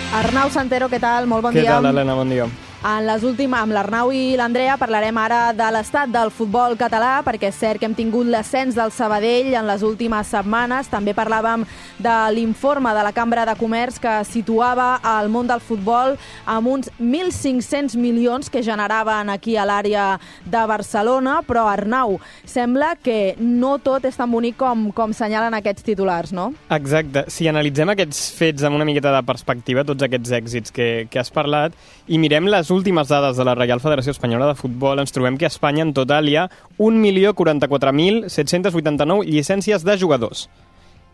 Arnau Santero, què tal? Molt bon dia. Què tal, Helena? Bon dia. Amb l'Arnau i l'Andrea parlarem ara de l'estat del futbol català, perquè és cert que hem tingut l'ascens del Sabadell en les últimes setmanes. També parlàvem de l'informe de la Cambra de Comerç que situava el món del futbol amb uns 1.500 milions que generaven aquí a l'àrea de Barcelona. Però, Arnau, sembla que no tot és tan bonic com senyalen aquests titulars, no? Exacte. Si analitzem aquests fets amb una miqueta de perspectiva, tots aquests èxits que has parlat, i mirem les últimes dades de la Reial Federació Espanyola de Futbol, ens trobem que a Espanya en total hi ha 1.044.789 llicències de jugadors.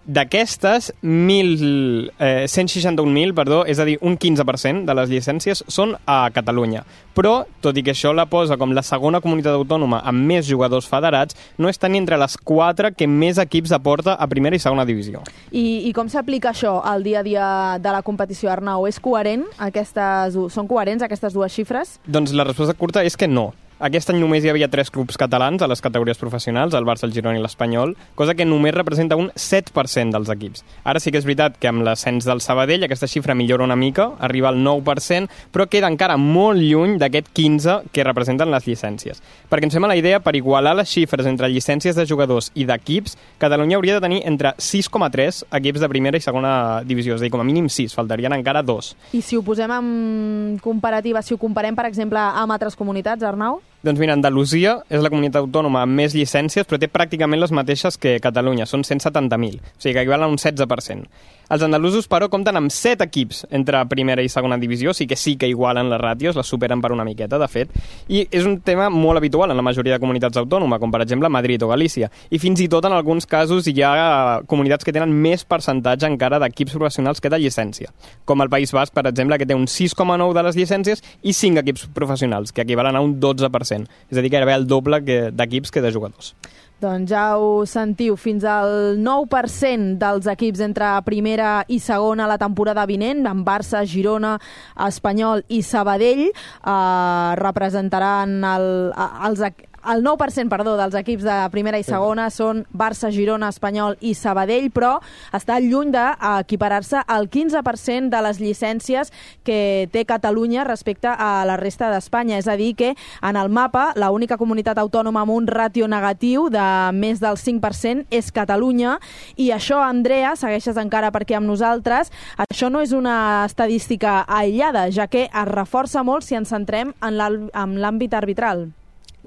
D'aquestes, 161.000, és a dir, un 15% de les llicències són a Catalunya. Però, tot i que això la posa com la segona comunitat autònoma amb més jugadors federats, no està ni entre les 4 que més equips aporta a primera i segona divisió. I com s'aplica això al dia a dia de la competició, Arnau? És coherent? Són coherents aquestes dues xifres? Doncs la resposta curta és que no. Aquest any només hi havia 3 clubs catalans a les categories professionals, el Barça, el Girona i l'Espanyol, cosa que només representa un 7% dels equips. Ara sí que és veritat que amb l'ascens del Sabadell aquesta xifra millora una mica, arriba al 9%, però queda encara molt lluny d'aquest 15% que representen les llicències. Perquè ens fem a la idea, per igualar les xifres entre llicències de jugadors i d'equips, Catalunya hauria de tenir entre 6,3 equips de primera i segona divisió, és a dir, com a mínim 6, faltarien encara 2. I si ho posem en comparativa, si ho comparem, per exemple, amb altres comunitats, Arnau? Doncs mira, Andalusia és la comunitat autònoma amb més llicències, però té pràcticament les mateixes que Catalunya, són 170.000, o sigui que equivalen a un 16%. Els andalusos, però, compten amb 7 equips entre primera i segona divisió, sí que igualen les ràtios, les superen per una miqueta, de fet, i és un tema molt habitual en la majoria de comunitats autònomes, com per exemple Madrid o Galícia, i fins i tot en alguns casos hi ha comunitats que tenen més percentatge encara d'equips professionals que de llicència, com el País Basc, per exemple, que té un 6,9% de les llicències i 5 equips professionals, que equivalen a un 12%, és a dir, gairebé el doble d'equips que de jugadors. Doncs ja ho sentiu, fins al 9% dels equips entre primera i segona la temporada vinent, amb Barça, Girona, Espanyol i Sabadell, representaran el 9% dels equips de primera i segona són Barça, Girona, Espanyol i Sabadell, però està lluny d'equiparar-se al 15% de les llicències que té Catalunya respecte a la resta d'Espanya. És a dir, que en el mapa l'única comunitat autònoma amb un ràtio negatiu de més del 5% és Catalunya. I això, Andrea, segueixes encara perquè amb nosaltres, això no és una estadística aïllada, ja que es reforça molt si ens centrem en l'àmbit arbitral.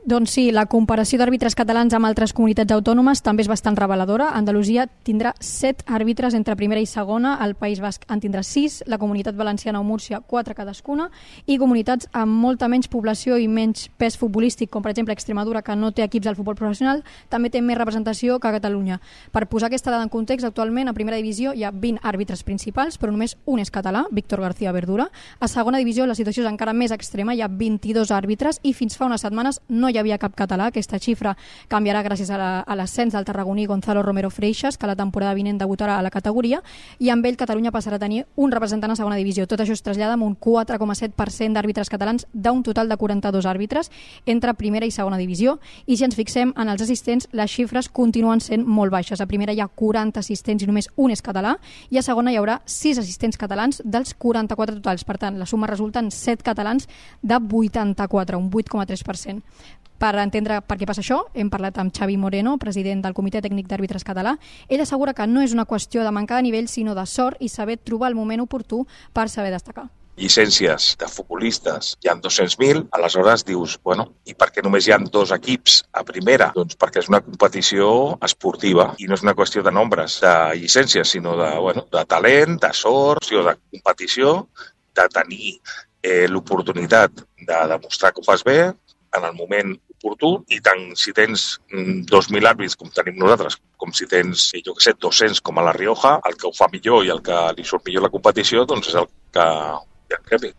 Doncs sí, la comparació d'àrbitres catalans amb altres comunitats autònomes també és bastant reveladora. Andalusia tindrà 7 àrbitres entre primera i segona, el País Basc en tindrà 6, la Comunitat Valenciana o Múrcia 4 cadascuna, i comunitats amb molta menys població i menys pes futbolístic, com per exemple Extremadura, que no té equips al futbol professional, també té més representació que Catalunya. Per posar aquesta dada en context, actualment a primera divisió hi ha 20 àrbitres principals, però només un és català, Víctor García Verdura. A segona divisió la situació és encara més extrema, hi ha 22 àrbitres i fins fa unes setmanes no hi havia cap català. Aquesta xifra canviarà gràcies a l'ascens del tarragoní Gonzalo Romero Freixas, que la temporada vinent debutarà a la categoria, i amb ell Catalunya passarà a tenir un representant a segona divisió. Tot això es trasllada amb un 4,7% d'àrbitres catalans d'un total de 42 àrbitres entre primera i segona divisió, i si ens fixem en els assistents, les xifres continuen sent molt baixes. A primera hi ha 40 assistents i només un és català, i a segona hi haurà 6 assistents catalans dels 44 totals. Per tant, la suma resulta en 7 catalans de 84, un 8,3%. Per entendre per què passa això, hem parlat amb Xavi Moreno, president del Comitè Tècnic d'Àrbitres Català. Ell assegura que no és una qüestió de mancar de nivell, sinó de sort i saber trobar el moment oportú per saber destacar. Llicències de futbolistes hi ha 200.000, aleshores dius, bueno, i per què només hi ha 2 equips a primera? Doncs perquè és una competició esportiva i no és una qüestió de nombres de llicències, sinó de talent, de sort, de competició, de tenir l'oportunitat de demostrar que ho fas bé en el moment oportú, i tant si tens 2.000 àrbits com tenim nosaltres, com si tens, 200 com a la Rioja, el que ho fa millor i el que li surt millor la competició, doncs és el que hi ha premi.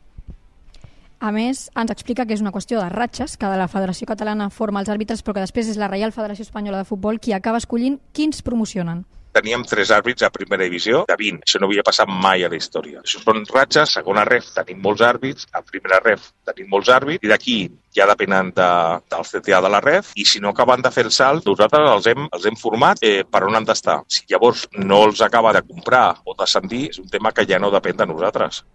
A més, ens explica que és una qüestió de ratxes, que la Federació Catalana forma els àrbitres, però que després és la Reial Federació Espanyola de Futbol qui acaba escollint quins promocionen. Teníem 3 àrbits a primera divisió de 20. Això no havia passat mai a la història. Això són ratxes, segona ref tenim molts àrbits, a primera ref tenim molts àrbits, i d'aquí ja depenen del CTA de la ref, i si no acaben de fer el salt, nosaltres els hem format per on han d'estar. Si llavors no els acaba de comprar o d'ascendir, és un tema que ja no depèn de nosaltres.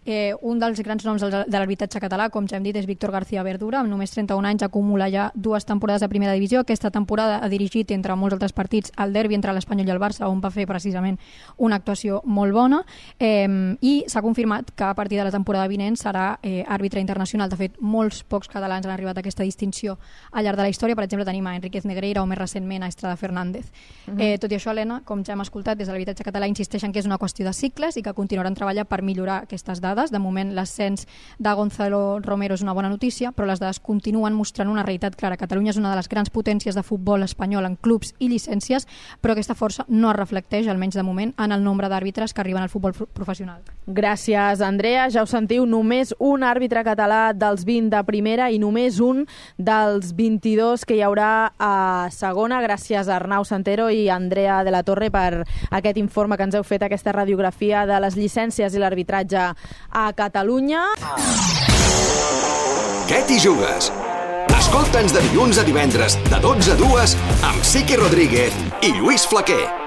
Un dels grans noms de l'arbitratge català, com ja hem dit, és Víctor García Verdura, amb només 31 anys acumula ja 2 temporades a primera divisió. Aquesta temporada ha dirigit, entre molts altres partits, el derbi entre l'Espanyol i el Barça, on va fer precisament una actuació molt bona, i s'ha confirmat que a partir de la temporada vinent serà àrbitre internacional. De fet, molts pocs catalans han arribat a aquesta distinció al llarg de la història. Per exemple, tenim a Enríquez Negreira o més recentment a Estrada Fernández. Tot i això, Helena, com ja hem escoltat, des de l'arbitratge català insisteixen que és una qüestió de cicles i que continuaran treballant per millorar aquestes dades. De moment, l'ascens de Gonzalo Romero és una bona notícia, però les dades continuen mostrant una realitat clara. Catalunya és una de les grans potències de futbol espanyol en clubs i llicències, però aquesta força no es reflecteix, almenys de moment, en el nombre d'àrbitres que arriben al futbol professional. Gràcies, Andrea. Ja ho sentiu, només un àrbitre català dels 20 de primera i només un dels 22 que hi haurà a segona. Gràcies a Arnau Santero i Andrea de la Torre per aquest informe que ens heu fet, aquesta radiografia de les llicències i l'arbitratge a Catalunya. Què t'hi jugues? Escolta'ns de dilluns a divendres de 12 a 2 amb Siqui Rodríguez i Lluís Flaquer.